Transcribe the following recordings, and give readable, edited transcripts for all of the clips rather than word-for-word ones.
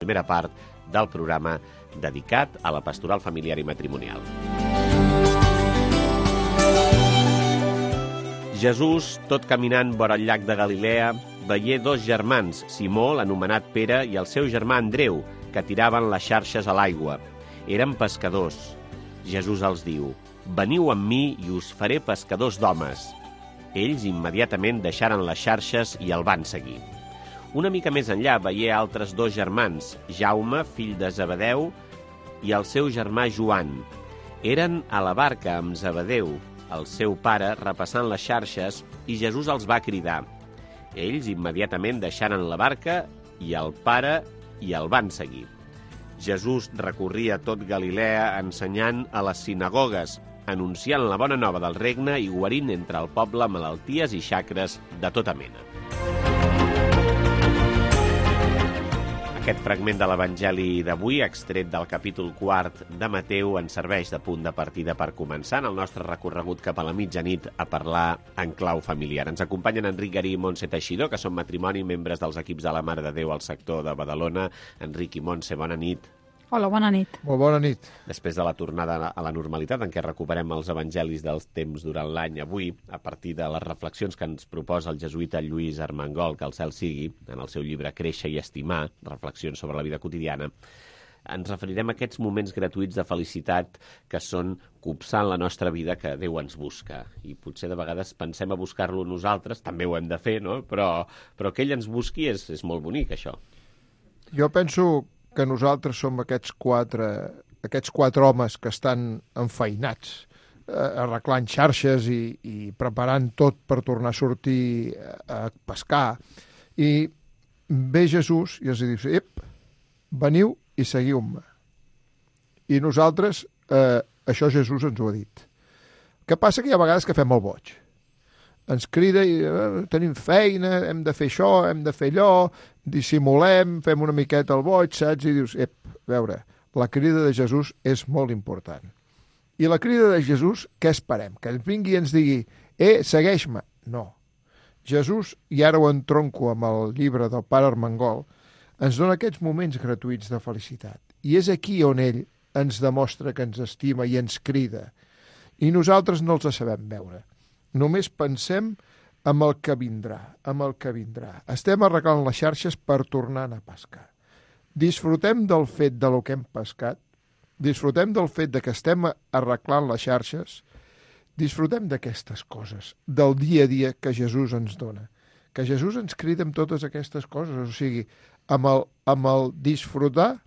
primera part del programa dedicat a la pastoral familiar i matrimonial. Jesús, tot caminant vora el llac de Galilea, veié dos germans, Simó, l'anomenat Pere, i el seu germà Andreu, que tiraven les xarxes a l'aigua. Eren pescadors. Jesús els diu: «Veniu amb mi i us faré pescadors d'homes». Ells immediatament deixaren les xarxes i el van seguir. Una mica més enllà veié altres dos germans, Jaume, fill de Zebedeu, i el seu germà Joan. Eren a la barca amb Zebedeu, el seu pare, repassant les xarxes, i Jesús els va cridar. Ells immediatament deixaren la barca i el pare i el van seguir. Jesús recorria tot Galilea ensenyant a les sinagogues, anunciant la bona nova del regne i guarint entre el poble malalties i xacres de tota mena. Aquest fragment de l'Evangeli d'avui, extret del capítol 4 de Mateu, ens serveix de punt de partida per començar en el nostre recorregut cap a la mitjanit a parlar en clau familiar. Ens acompanyen Enric Garí i Montse Teixidor, que són matrimoni, membres dels equips de la Mare de Déu al sector de Badalona. Enric i Montse, bona nit. Hola, bona nit. Molt bona nit. Després de la tornada a la normalitat, en què recuperem els evangelis dels temps durant l'any, avui, a partir de les reflexions que ens proposa el jesuïta Lluís Armengol, que el cel sigui, en el seu llibre Créixer i estimar, reflexions sobre la vida quotidiana, ens referirem a aquests moments gratuïts de felicitat que són copsant la nostra vida que Déu ens busca. I potser de vegades pensem a buscar-lo nosaltres, també ho hem de fer, no? Però que ell ens busqui és molt bonic, això. Jo penso que nosaltres som aquests quatre homes que estan enfeinats, arreglant xarxes i preparant tot per tornar a sortir a pescar. I ve Jesús i els diu: «Ep, veniu i seguiu-me». I nosaltres, això Jesús ens ho ha dit. El que passa que hi ha vegades que fem el boig. Ens crida i tenim feina, hem de fer això, hem de fer allò, dissimulem, fem una miqueta el boig, saps? I dius, a veure, la crida de Jesús és molt important. I la crida de Jesús, què esperem? Que ens vingui i ens digui, segueix-me. No. Jesús, i ara ho entronco amb el llibre del pare Armengol, ens dona aquests moments gratuïts de felicitat. I és aquí on ell ens demostra que ens estima i ens crida. I nosaltres no els sabem veure. Només pensem en el que vindrà, amb el que vindrà. Estem arreglant les xarxes per tornar a pescar. Disfrutem del fet de lo que hem pescat, disfrutem del fet de que estem arreglant les xarxes, disfrutem d'aquestes coses, del dia a dia que Jesús ens dona. Que Jesús ens crida amb totes aquestes coses, o sigui, amb el disfrutar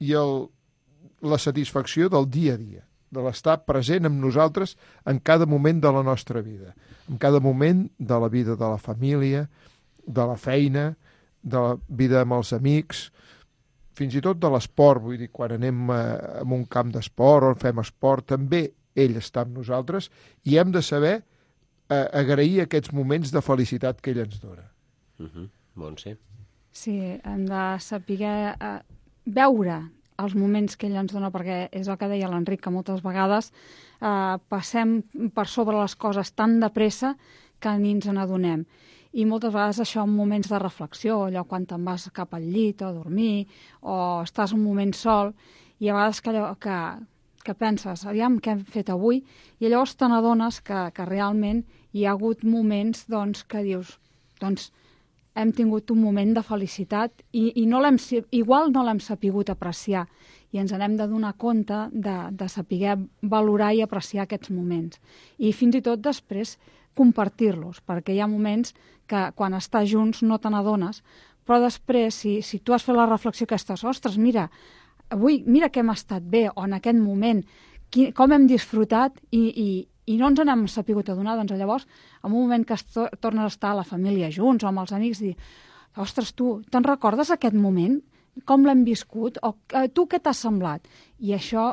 i la satisfacció del dia a dia, de l'estar present amb nosaltres en cada moment de la nostra vida, en cada moment de la vida de la família, de la feina, de la vida amb els amics, fins i tot de l'esport. Vull dir, quan anem a un camp d'esport o fem esport, també ell està amb nosaltres i hem de saber agrair aquests moments de felicitat que ell ens dona. Montse? Sí, hem de saber veure els moments que ell ens dona, perquè és el que deia l'Enric, que moltes vegades passem per sobre les coses tan de pressa que ni ens n'adonem. I moltes vegades això en moments de reflexió, allò quan te'n vas cap al llit o a dormir, o estàs un moment sol, i a vegades que penses, aviam què hem fet avui, i llavors te n'adones que realment hi ha hagut moments que dius, hem tingut un moment de felicitat i igual no l'hem sapigut apreciar i ens n'hem de donar compte de saber valorar i apreciar aquests moments. I fins i tot després compartir-los, perquè hi ha moments que quan estàs junts no te n'adones, però després, si tu has fet la reflexió que estàs, ostres, mira, avui, mira que hem estat bé, o en aquest moment, com hem disfrutat i no ens n'hem sapigut adonar, doncs llavors, en un moment que tornes a estar a la família junts o amb els amics, dir, ostres, tu, te'n recordes aquest moment? Com l'hem viscut? O tu què t'ha semblat? I això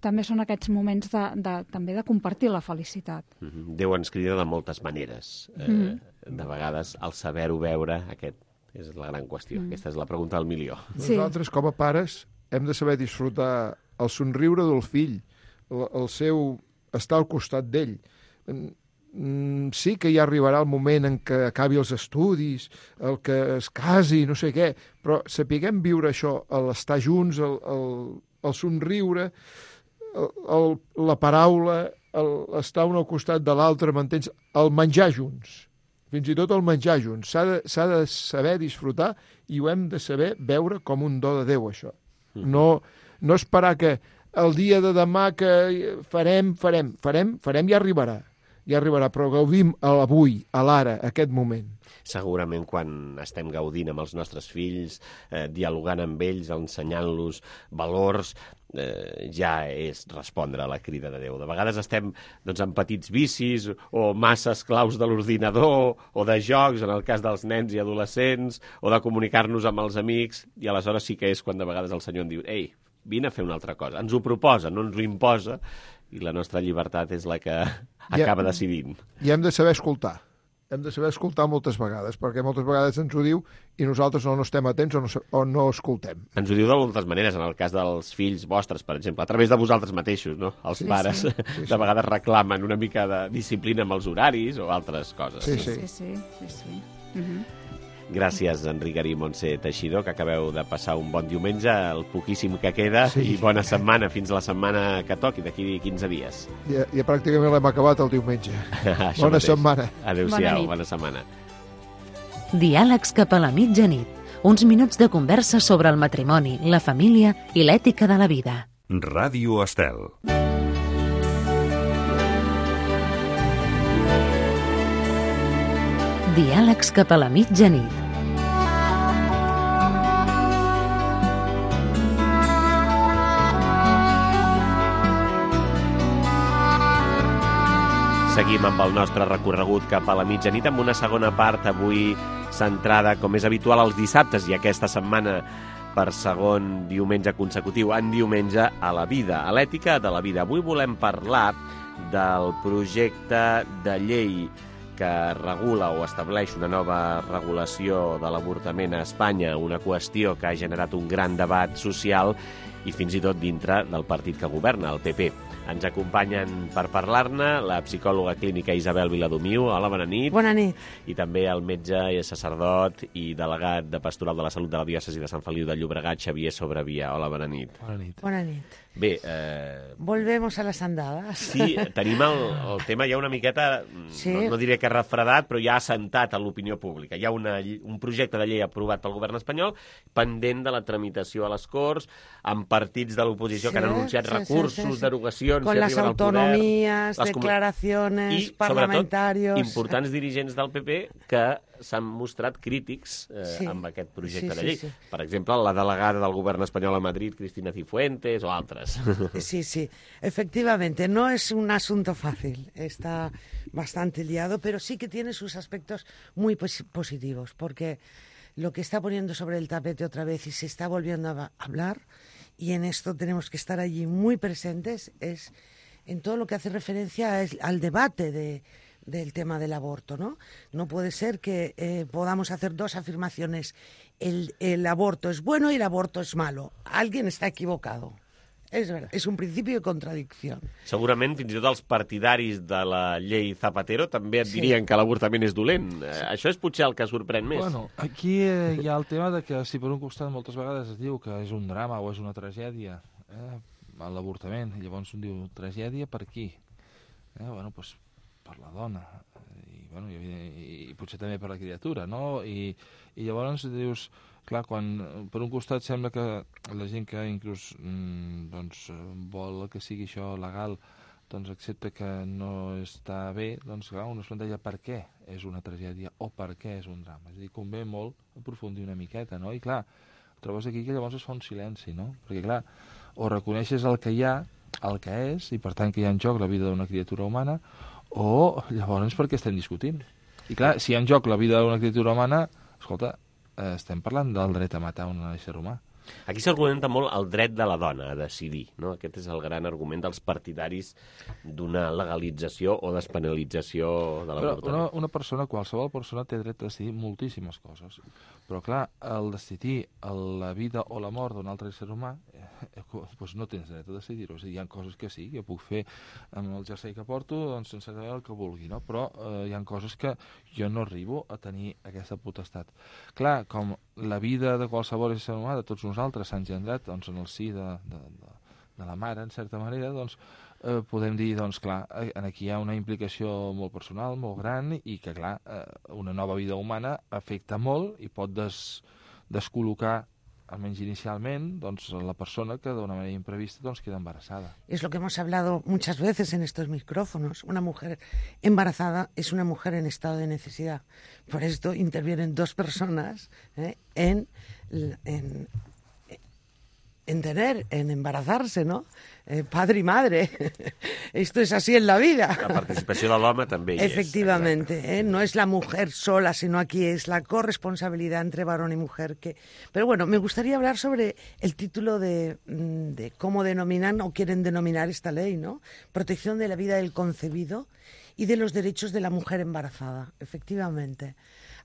també són aquests moments també de compartir la felicitat. Déu ens crida de moltes maneres. De vegades, el saber-ho veure, aquest és la gran qüestió. Aquesta és la pregunta del milió. Sí. Nosaltres, com a pares, hem de saber disfrutar el somriure del fill, el seu estar al costat d'ell. sí que ja arribarà el moment en què acabi els estudis, el que es casi, no sé què, però sapiguem viure això, l'estar junts, el somriure, la paraula, estar un al costat de l'altre, m'entens? El menjar junts, fins i tot el menjar junts. S'ha de saber disfrutar i ho hem de saber veure com un do de Déu, això. No esperar que el dia de demà que farem, ja arribarà, però gaudim a l'avui, a l'ara, a aquest moment. Segurament quan estem gaudint amb els nostres fills, dialogant amb ells, ensenyant-los valors, ja és respondre a la crida de Déu. De vegades estem amb petits vicis o massa esclaus de l'ordinador o de jocs, en el cas dels nens i adolescents, o de comunicar-nos amb els amics, i aleshores sí que és quan de vegades el Senyor en diu: ei, vine a fer una altra cosa. Ens ho proposa, no ens ho imposa, i la nostra llibertat és la que acaba decidint. I hem de saber escoltar. Hem de saber escoltar moltes vegades, perquè moltes vegades ens ho diu i nosaltres no estem atents o no escoltem. Ens ho diu de moltes maneres, en el cas dels fills vostres, per exemple, a través de vosaltres mateixos, no? Els pares de vegades reclamen una mica de disciplina amb els horaris o altres coses. Sí. Gràcies, Enric Garí i Montse Teixidor, que acabeu de passar un bon diumenge, el poquíssim que queda, i bona setmana fins la setmana que toqui, d'aquí 15 dies. Ja pràcticament l'hem acabat el diumenge. Bona setmana. Adéu-siau, bona setmana. Diàlegs cap a la mitjanit. Uns minuts de conversa sobre el matrimoni, la família i l'ètica de la vida. Ràdio Estel. Diàlegs cap a la mitjanit. Seguim amb el nostre recorregut cap a la mitjanit amb una segona part avui centrada, com és habitual, als dissabtes i aquesta setmana per segon diumenge consecutiu en Diumenge a la vida, a l'ètica de la vida. Avui volem parlar del projecte de llei que regula o estableix una nova regulació de l'avortament a Espanya, una qüestió que ha generat un gran debat social i fins i tot dintre del partit que governa, el PP. Ens acompanyen per parlar-ne la psicòloga clínica Isabel Viladomiu. Hola, bona nit. Bona nit. I també el metge i sacerdot i delegat de Pastoral de la Salut de la Diòcesi de Sant Feliu de Llobregat, Xavier Sobrevia. Hola, bona nit. Bona nit. Bona nit. Bé, Volvemos a las andadas. Sí, tenim el tema ja una miqueta, sí. no diré que refredat, però ja assentat a l'opinió pública. Hi ha un projecte de llei aprovat pel govern espanyol pendent de la tramitació a les Corts, amb partits de l'oposició que han anunciat recursos, derogacions... Con las autonomías, declaraciones, parlamentarios... I, sobretot, importants dirigents del PP que s'han mostrat crítics amb aquest projecte de llei. Sí. Per exemple, la delegada del govern espanyol a Madrid, Cristina Cifuentes, o altres. Sí. Efectivamente, no es un asunto fácil. Está bastante liado, pero sí que tiene sus aspectos muy positivos, porque lo que está poniendo sobre el tapete otra vez y se está volviendo a hablar, y en esto tenemos que estar allí muy presentes, es en todo lo que hace referencia al debate del tema del aborto, ¿no? No puede ser que podamos hacer dos afirmaciones. El aborto es bueno y el aborto es malo. Alguien está equivocado. És verdad, és un principi de contradicció. Segurament, fins i tot els partidaris de la llei Zapatero també et dirien que l'avortament és dolent. Això és potser el que sorprèn més. Bueno, aquí hi ha el tema de que si per un costat moltes vegades es diu que és un drama o és una tragèdia, l'avortament, llavors un diu tragèdia per qui? Bueno, doncs per la dona, i potser també per la criatura, no? I llavors dius... Clar, quan per un costat sembla que la gent que inclús vol que sigui això legal accepta que no està bé, doncs clar, uno es planteja per què és una tragèdia o per què és un drama. És a dir, convé molt aprofundir una miqueta, no? I clar, trobes aquí que llavors es fa un silenci, no? Perquè clar, o reconeixes el que hi ha, el que és, i per tant que hi ha en joc la vida d'una criatura humana, o llavors per què estem discutint? I clar, si hi ha en joc la vida d'una criatura humana, escolta, estem parlant del dret a matar un ésser humà. Aquí s'argumenta molt el dret de la dona a decidir, no? Aquest és el gran argument dels partidaris d'una legalització o despenalització de l'avortament. Una persona, qualsevol persona, té dret a decidir moltíssimes coses. Però, clar, el decidir la vida o la mort d'un altre ésser humà, doncs no tens dret a decidir-ho. És a dir, hi ha coses que sí, jo puc fer amb el jersei que porto, doncs sense saber el que vulgui, no? Però hi ha coses que jo no arribo a tenir aquesta potestat. Clar, com la vida de qualsevol ésser humà, de tots nosaltres, s'ha engendrat doncs, en el si de la mare, en certa manera, doncs podem dir, doncs clar, aquí hi ha una implicació molt personal, molt gran, i que, clar, una nova vida humana afecta molt i pot descol·locar, almenys inicialment, doncs, la persona que d'una manera imprevista doncs, queda embarazada. Es lo que hemos hablado muchas veces en estos micrófonos. Una mujer embarazada es una mujer en estado de necesidad. Por esto intervienen dos personas en embarazarse, ¿no? Padre y madre. Esto es así en la vida. La participació de l'home també hi és. Efectivamente, no es la mujer sola, sino aquí es la corresponsabilidad entre varón y mujer. Pero bueno, me gustaría hablar sobre el título de cómo denominan o quieren denominar esta ley, ¿no? Protección de la vida del concebido y de los derechos de la mujer embarazada. Efectivamente.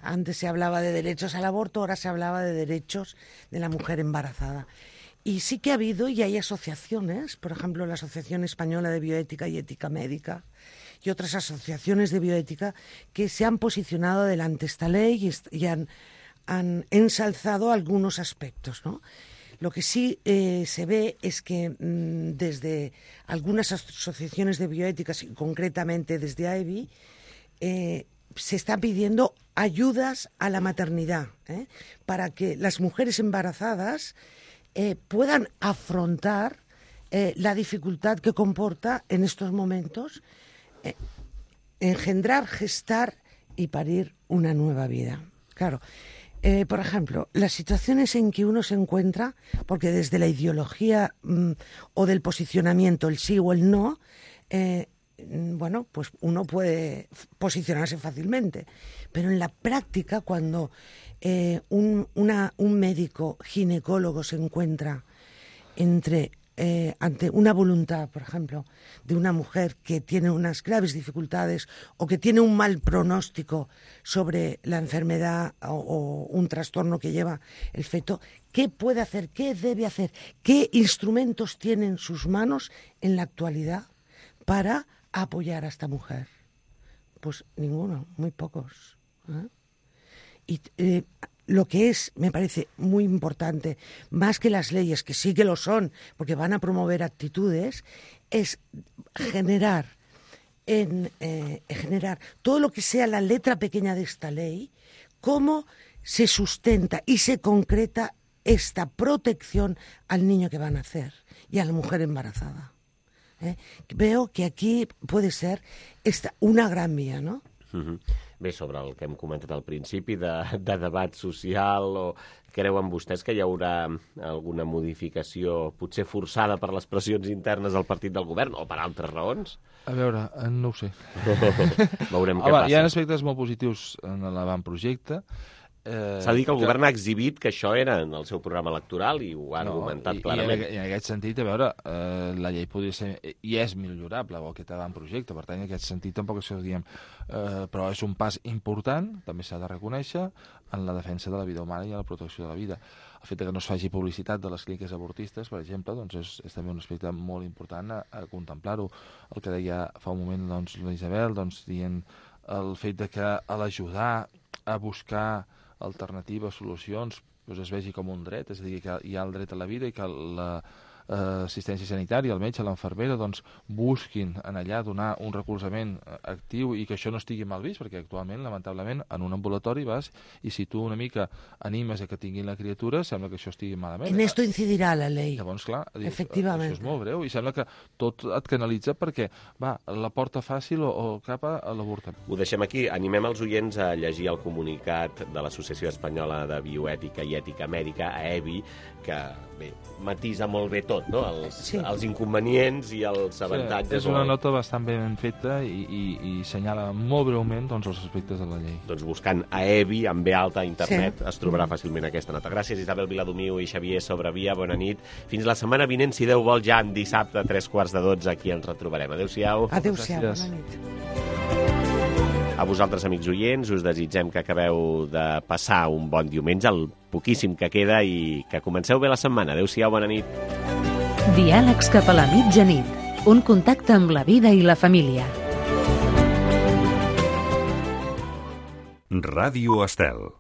Antes se hablaba de derechos al aborto, ahora se hablaba de derechos de la mujer embarazada. Y sí que ha habido y hay asociaciones, por ejemplo, la Asociación Española de Bioética y Ética Médica y otras asociaciones de bioética que se han posicionado delante de esta ley y han ensalzado algunos aspectos, ¿no? Lo que sí se ve es que desde algunas asociaciones de bioéticas, y concretamente desde AEBI, se están pidiendo ayudas a la maternidad, para que las mujeres embarazadas puedan afrontar la dificultad que comporta en estos momentos engendrar, gestar y parir una nueva vida. Claro, por ejemplo, las situaciones en que uno se encuentra, porque desde la ideología o del posicionamiento, el sí o el no, bueno, pues uno puede posicionarse fácilmente, pero en la práctica, cuando un médico ginecólogo se encuentra ante una voluntad, por ejemplo, de una mujer que tiene unas graves dificultades o que tiene un mal pronóstico sobre la enfermedad o un trastorno que lleva el feto, ¿qué puede hacer? ¿Qué debe hacer? ¿Qué instrumentos tiene en sus manos en la actualidad para apoyar a esta mujer? Pues ninguno, muy pocos. Y lo que me parece muy importante, más que las leyes, que sí que lo son, porque van a promover actitudes, es generar todo lo que sea la letra pequeña de esta ley, cómo se sustenta y se concreta esta protección al niño que va a nacer y a la mujer embarazada. Veo que aquí puede ser una gran vía, ¿no? Bé, sobre el que hem comentat al principi de debat social, o creuen vostès que hi haurà alguna modificació potser forçada per les pressions internes del partit del govern o per altres raons? A veure, no ho sé. Veurem què passa. Hi ha aspectes molt positius en l'avantprojecte. S'ha dit que el govern ha exhibit que això era en el seu programa electoral i ho ha argumentat clarament. I en aquest sentit, a veure, la llei podria ser i és millorable, o aquest avantprojecte, per tant, en aquest sentit tampoc això ho diem, però és un pas important, també s'ha de reconèixer, en la defensa de la vida humana i en la protecció de la vida. El fet que no es faci publicitat de les clíniques abortistes, per exemple, doncs és també un aspecte molt important a contemplar-ho. El que deia fa un moment doncs, la Isabel, doncs, dient el fet de que a l'ajudar a buscar alternatives, solucions, doncs es vegi com un dret, és a dir, que hi ha el dret a la vida i que l'assistència sanitària, el metge, l'infermera, doncs busquin en allà donar un recolzament actiu i que això no estigui mal vist, perquè actualment, lamentablement, en un ambulatori vas i si tu una mica animes a que tinguin la criatura, sembla que això estigui malament. En esto incidirà la ley. Llavors, clar, efectivament. Això és molt greu i sembla que tot et canalitza perquè, va, la porta fàcil o cap a l'avortament. Ho deixem aquí. Animem els oients a llegir el comunicat de l'Associació Espanyola de Bioètica i Ètica Mèdica, AEBI, que, bé, matisa molt bé tot. tot, no? Els inconvenients i els avantatges. És una nota bastant ben feta i senyala molt breument doncs, els aspectes de la llei. Doncs buscant a EBI, amb B alta a internet, es trobarà fàcilment aquesta nota. Gràcies, Isabel Viladomiu i Xavier Sobrevia, bona nit. Fins la setmana vinent, si Déu vol, ja en dissabte, a 3:45, aquí ens retrobarem. Adéu-siau. Adéu-siau, bona nit. A vosaltres, amics oients, us desitgem que acabeu de passar un bon diumenge, el poquíssim que queda, i que comenceu bé la setmana. Adéu-siau, bona nit. Diàlegs cap a la mitjanit. Un contacte amb la vida i la família. Ràdio Estel.